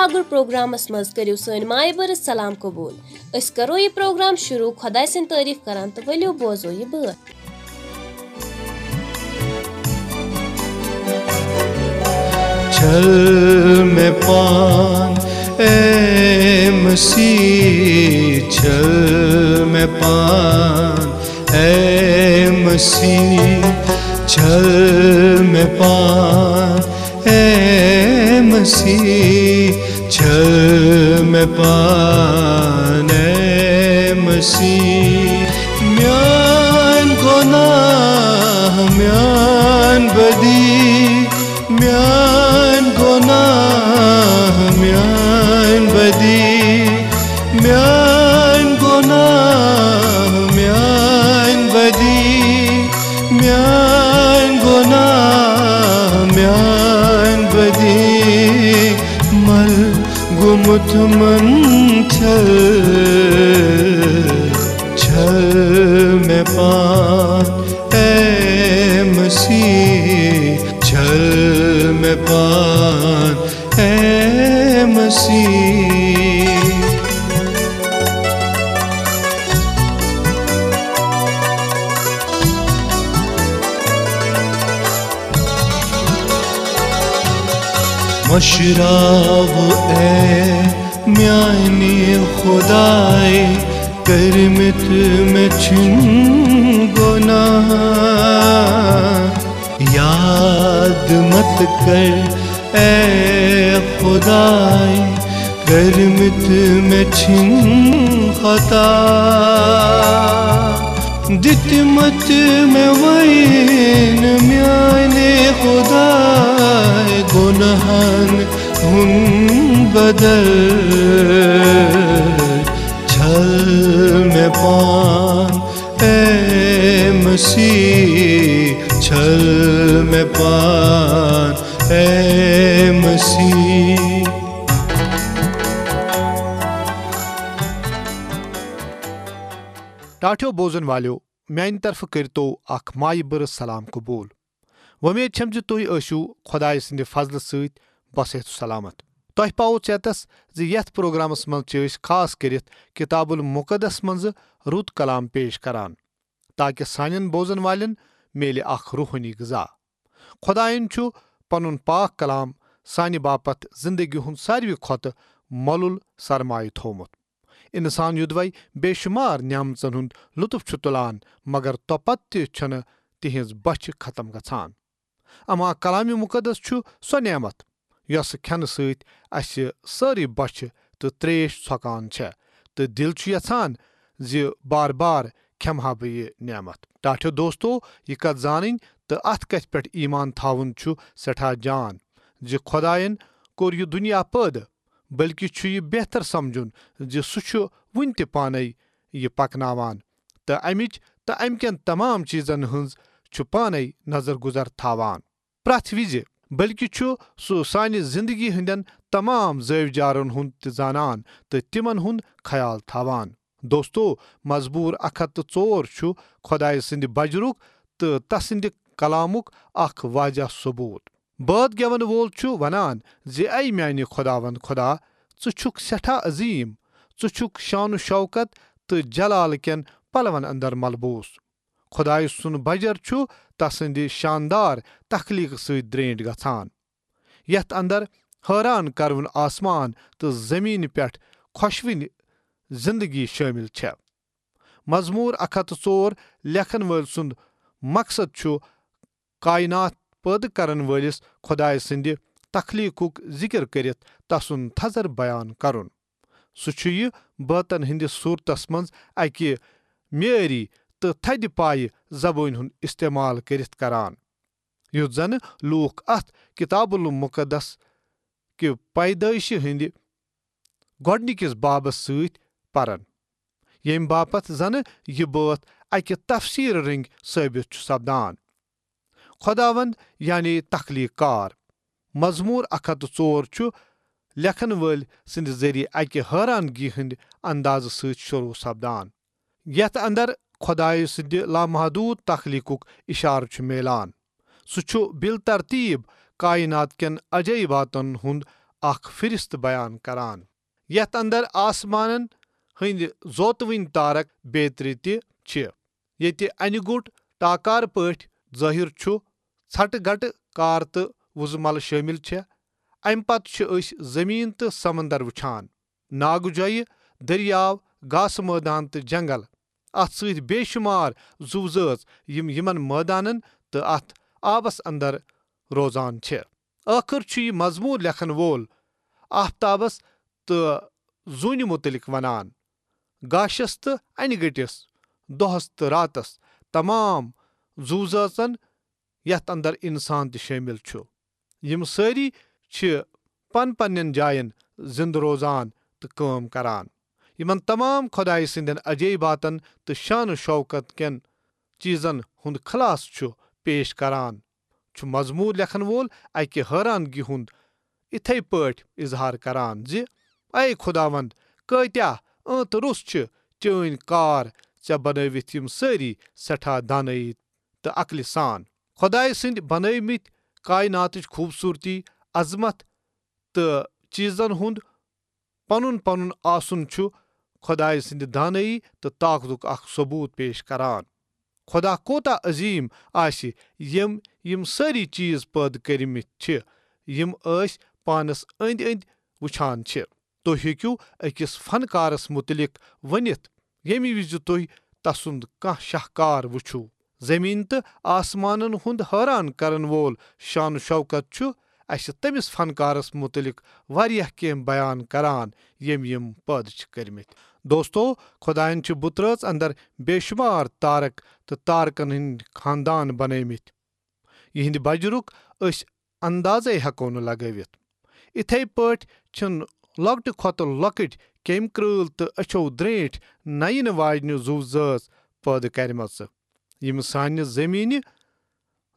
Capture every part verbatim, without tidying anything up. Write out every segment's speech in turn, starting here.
مگر پروگرامس منٛز کٔرِو سٲنۍ مایہِ بٔرٕژ سلام قبوٗل۔ أسۍ کرو یہِ پروگرام شروع خۄداے سٕنٛدۍ تعریٖف کران تہٕ ؤلِو بوزو یہِ بٲتھ۔ چھل مےٚ پان، اے مسیح، چھل مےٚ پان، اے مسیح، چھل مےٚ پان، اے مسیح، چھل مےٚ پان، اے مسیح۔ میٲنۍ گۄناہ، میٲنۍ بدی، میٲنۍ گۄناہ، میٲنۍ بدی، میٲنۍ گۄناہ، میٲنۍ بدی، میٲنۍ گۄناہ، میٲنۍ بدی، مل گوٚمُت منٛدچھل، چھل مےٚ پان، اے مسیح، چھل مےٚ پان، اے مسیح۔ مٔشراو اے میانہِ خداے، کٔرمٕتۍ مےٚ چھِن گۄناہ۔ یاد مت کر اے خداے، کٔرمٕتۍ مےٚ چھِن خطا۔ دِتمٕتۍ مےٚ وۄنۍ میانہِ خداے گۄناہن ہُنٛد بدل۔ چھل مےٚ پان اے مسیح، چھل مےٚ پان اے مسیح۔ ٹاٹھیو بوزن والیو، میانہِ طرفہٕ کٔرتو اکھ مایہِ بٔرٕ سلام قبول۔ وۄمید چھم زِ تُہۍ ٲسِو خۄدایہِ سٕنٛدِ فضلہٕ سۭتۍ بصحت و سلامت۔ تۄہہِ پاوو ژیتس زِ یتھ پروگرامس منٛز چھِ أسۍ خاص کٔرِتھ کتاب المقدس منٛزٕ رُت کلام پیش کران، تاکہ سانٮ۪ن بوزن والٮ۪ن میلہِ اکھ روحٲنی غذا۔ خۄدایَن چھُ پنُن پاک کلام سانہِ باپتھ زندگی ہُنٛد ساروی کھۄتہٕ مۄلُل سرمایہ تھوومُت۔ انسان یوٚدوے بے شمار نعمژن ہُنٛد لطف چھُ تُلان، مگر توپتہٕ تہِ چھنہٕ تِہنٛز بۄچھِ ختم گژھان۔ اما کلام مقدس چھُ سۄ نعمت، یۄس کھٮ۪نہٕ سۭتۍ اسہِ سٲرٕے بۄچھِ تہٕ تریش ژھۄکان چھےٚ، تہٕ دل چھُ یژھان زِ بار بار کھٮ۪مہٕ ہا بہٕ یہِ نعمت۔ ٹاٹھیو دوستو، یہِ کتھ زانٕنۍ تہٕ اتھ کتھِ پٮ۪ٹھ ایمان تھاوُن چھُ سٮ۪ٹھاہ جان زِ خۄدایَن کوٚر یہِ دُنیا پٲدٕ، بلکہِ چھُ یہِ بہتر سمجھُن زِ سُہ چھُ وُنہِ تہِ پانے یہِ پکناوان تہٕ امِچ تہٕ امہِ کٮ۪ن تمام چیزن ہٕنٛز چھُ پانے نظر گُزر تھاوان پرٛٮ۪تھ وِزِ، بلکہِ چھُ سُہ سانہِ زندگی ہٕنٛدٮ۪ن تمام زٲوۍ جارن ہُنٛد تہِ زانان تہٕ تِمن ہُنٛد خیال تھاوان۔ دوستو، مزمور اکھ ہتھ تہٕ ژور چھُ خۄدایہِ سٕنٛدِ بجرُک تہٕ تسٕنٛدِ کلامُک اکھ واضح ثبوت۔ بٲتھ گٮ۪ون وول چھُ ونان زِ، اے میانہِ خۄداوند خۄدا، ژٕ چھُکھ سٮ۪ٹھاہ عظیٖم، ژٕ چھُکھ شان و شوکت تہٕ جلال کٮ۪ن پلون اندر ملبوٗس۔ خۄدایہِ سُنٛد بجر چھُ تسٕنٛدِ شاندار تخلیقہٕ سۭتۍ درینٹھ گژھان، یتھ اندر حٲران کرون آسمان تہٕ زمینہِ پٮ۪ٹھ خۄشوٕنۍ زندگی شٲمِل چھےٚ۔ مزمور اکھ ہتھ تہٕ ژور لیکھن وٲلۍ سُنٛد مقصد چھُ کائنات پٲدٕ کرن وٲلِس خۄدایہِ سٕنٛدِ تخلیقُک ذِکر کٔرِتھ تسُنٛد تھزر بیان کرُن۔ سُہ چھُ یہِ بٲتن ہٕنٛدِس صوٗرتس منٛز اکہِ معیٲری تہٕ تھدِ پایہِ زبٲنۍ ہُنٛد استعمال کٔرِتھ کران، یُتھ زن لوٗکھ اتھ کتاب المقدس کہِ پیدٲئشہِ ہٕنٛدِ گۄڈنِکِس بابس سۭتۍ پرن، ییٚمہِ باپتھ زنہٕ یہِ بٲتھ اکہِ تفسیٖر رٔنگۍ ثٲبت چھُ سپدان۔ خۄداوند یعنی تخلیق کار۔ مزمور اکھ ہتھ تہٕ ژور چھُ لیکھن وٲلۍ سٕنٛدِ ذٔریعہٕ اکہِ حٲرانگی ہٕنٛدِ اندازٕ سۭتۍ شروع سپدان، یتھ اندر خۄدایہِ سٕنٛدِ لامحدود تخلیقُک اشارٕ چھُ میلان۔ سُہ چھُ بالترتیب کائنات کٮ۪ن عجٲیباتن ہُنٛد اکھ فہرست بیان کران، یتھ اندر آسمانن ہٕنٛدۍ زوتوٕنۍ تارک بیترِ تہِ چھِ، ییٚتہِ انہِ گوٚٹ ٹاکار پٲٹھۍ ظٲہِر چھُ، ژھٹہٕ گٹہٕ کار تہٕ وُزمل شٲمِل چھےٚ۔ امہِ پتہٕ چھِ أسۍ زٔمیٖن تہٕ سمندر وُچھان، ناگہٕ جۄیہِ، دٔریاو، گاسہٕ مٲدان تہٕ جنگل، اتھ سۭتۍ بے شمار زُو زٲژ، یِم یِمن مٲدانن تہٕ اتھ آبس اندر روزان چھِ۔ ٲخٕر چھُ یہِ مضموٗن لیکھن وول آفتابس تہٕ زوٗنہِ مُتعلق ونان، گاشس تہٕ انہِ گٔٹِس، دۄہس تہٕ راتس، تمام زُو زٲژن، یتھ اندر انسان تہِ شٲمِل چھُ۔ یِم سٲری چھِ پن پننٮ۪ن جاین زِندٕ روزان تہٕ کٲم کران۔ یِمن تمام خۄدایہِ سٕنٛدٮ۪ن عجٲیباتن تہٕ شان و شوکت کٮ۪ن چیٖزن ہُنٛد خلاصہٕ چھُ پیش کران، چھُ مضموٗر لیکھن وول اکہِ حٲرانگی ہُنٛد اِتھے پٲٹھۍ اظہار کران زِ، اے خۄداوند، کۭتیاہ ٲنت روٚس چھِ چٲنۍ کار، ژےٚ بنٲوِتھ یِم سٲری سٮ۪ٹھاہ دانٲیی تہٕ عقلہِ سان۔ خۄدایہِ سٕنٛدۍ بنٲومٕتۍ کائناتٕچ خوٗبصوٗرتی، عظمت تہٕ چیٖزن ہُنٛد پنُن پنُن آسُن چھُ خۄدایہِ سٕنٛدِ دانٲیی تہٕ طاقتُک اکھ ثبوت پیش کران۔ خۄدا کوتاہ عظیٖم آسہِ، یِم یِم سٲری چیٖز پٲدٕ کٔرمٕتۍ چھِ، یِم أسۍ پانس أنٛدۍ أنٛدۍ وُچھان چھِ۔ تُہۍ ہیٚکِو أکِس فنکارس مُتعلق ؤنِتھ، ییٚمہِ وِزِ تُہۍ تسُنٛد کانٛہہ شاہکار وُچھِو۔ زٔمیٖن تہٕ آسمانن ہُنٛد حٲران کرن وول شان و شوکت چھُ اسہِ تٔمِس فنکارس مُتعلق واریاہ کینٛہہ بیان کران، ییٚمۍ یِم پٲدٕ چھِ کٔرمٕتۍ۔ دوستو، خۄدایَن چھِ بُترٲژ اندر بے شمار تارک تہٕ تارکن ہٕنٛدۍ خاندان بنٲومٕتۍ، یِہنٛدِ بجرُک أسۍ اندازے ہٮ۪کو نہٕ لگٲوِتھ۔ اِتھے پٲٹھۍ چھِن لۄکٹہِ کھۄتہٕ لۄکٕٹۍ کیمۍ کرۭل تہٕ أچھو درٛینٛٹھۍ نینہٕ واجنہِ زُو زٲژ پٲدٕ کرِمژٕ، یِم سانہِ زٔمیٖنہِ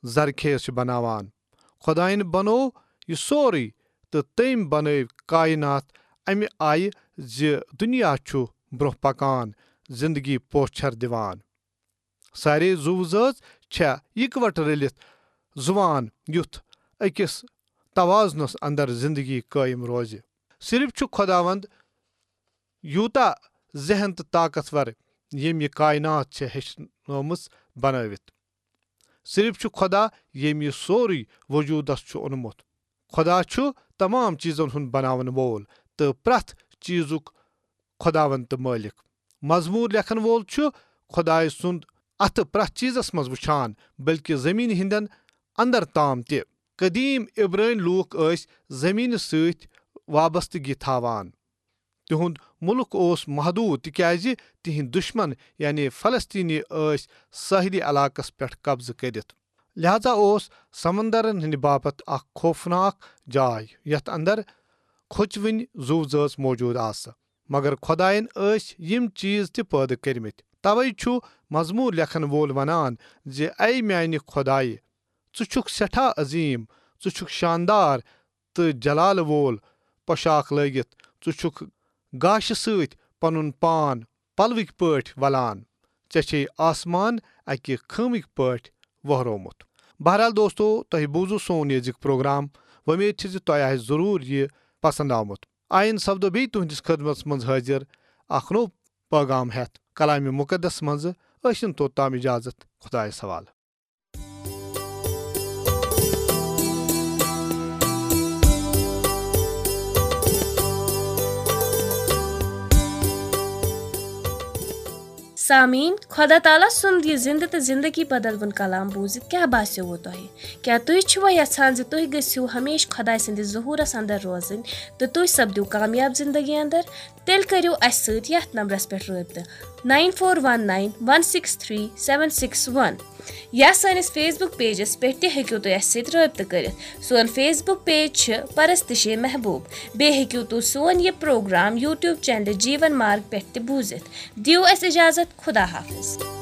زرخیز چھِ بناوان۔ خۄدایَن بنوو یہِ سورُے تہٕ تٔمۍ بنٲوۍ کائنات امہِ آیہِ زِ دُنیا چھُ برٛونٛہہ پکان، زندگی پوچھر دِوان۔ سارے زُو زٲژ چھےٚ یکوٹہٕ رٔلِتھ زُوان، یُتھ أکِس توازنس اندر زندگی قٲیِم روزِ۔ صرف چھُ خۄداوند یوٗتاہ ذہین تہٕ طاقتور، ییٚمۍ یہِ کائنات چھےٚ ہیٚچھنٲومٕژ بنٲوِتھ۔ صرف چھُ خۄدا، ییٚمۍ یہِ سورُے وجوٗدس چھُ اوٚنمُت۔ خۄدا چھُ تمام چیٖزن ہُنٛد بناون وول تہٕ پرٛٮ۪تھ چیٖزُک خۄداوند تہٕ مٲلِک۔ مزموٗر لیکھن وول چھُ خۄدایہِ سُنٛد اَتھٕ پرٛٮ۪تھ چیٖزس منٛز وُچھان، بلکہِ زٔمیٖنہِ ہٕنٛدٮ۪ن اندر تام تہِ۔ قدیٖم عبرٲنۍ لوٗکھ ٲسۍ زٔمیٖنہِ سۭتۍ وابستگی تھاوان۔ تِہُنٛد مُلک اوس محدوٗد، تِکیازِ تِہنٛدۍ دُشمن، یعنی فلسطینی، ٲسۍ سٲحلی علاقس پٮ۪ٹھ قبضہٕ کٔرِتھ۔ لہذا اوس سمندرن ہٕنٛدِ باپتھ اکھ خوفناک جاے، یتھ اندر کھوژوٕنۍ زُو زٲژ موجود آسہٕ۔ مگر خۄدایَن ٲسۍ یِم چیٖز تہِ پٲدٕ کٔرمٕتۍ۔ توے چھُ مزموٗر لیکھن وول ونان زِ، اے میانہِ خۄدایہِ، ژٕ چھُکھ سٮ۪ٹھاہ عظیٖم، ژٕ چھُکھ شاندار تہٕ جلال وول پۄشاکھ لٲگِتھ، ژٕ چھُکھ گاشہِ سۭتۍ پنُن پان پلوٕکۍ پٲٹھۍ ولان، ژےٚ چھے آسمان اکہِ خٲمٕکۍ پٲٹھۍ وہرومُت۔ بہرحال دوستو، تۄہہِ بوٗزوٕ سون یہِ أزیُک پروگرام۔ وۄمید چھِ زِ تۄہہِ آسہِ ضروٗر یہِ پسند آمُت۔ آیندٕ سپدو بیٚیہِ تُہنٛدِس خدمتس منٛز حٲضِر اکھ نوٚو پٲغام ہٮ۪تھ۔ کلامِ مُقدس منٛزٕ ٲسِن توٚتام اجازت۔ خۄدایس حوالہٕ۔ سامعیٖن، خۄدا تعالیٰ سُنٛد یہِ زِنٛدٕ تہٕ زِنٛدگی بدلوُن کلام بوٗزِتھ کیٛاہ باسیووٕ تۄہہِ؟ کیٛاہ تُہۍ چھِوا یژھان زِ تُہۍ گٔژھِو ہمیشہٕ خۄداے سٕنٛدِس ظہوٗرس اندر روزٕنۍ تہٕ تُہۍ سپدِو کامیاب زِنٛدگی اندر؟ تیٚلہِ کٔرِو اَسہِ سۭتۍ یَتھ نمبرس پٮ۪ٹھ رٲبطہٕ، nine four one nine one six three seven six one۔ یا سٲنِس Facebook pageس پٮ۪ٹھ تہِ ہیٚکِو تُہۍ اَسہِ سۭتۍ رٲبطہٕ کٔرِتھ۔ سون Facebook page چھِ پرستشِ محبوب۔ بیٚیہِ ہیٚکِو تُہۍ سون یہِ پروگرام YouTube channel جیٖون مارگ پٮ۪ٹھ تہِ بوٗزِتھ۔ دِیِو اَسہِ اجازت۔ خدا حافظ۔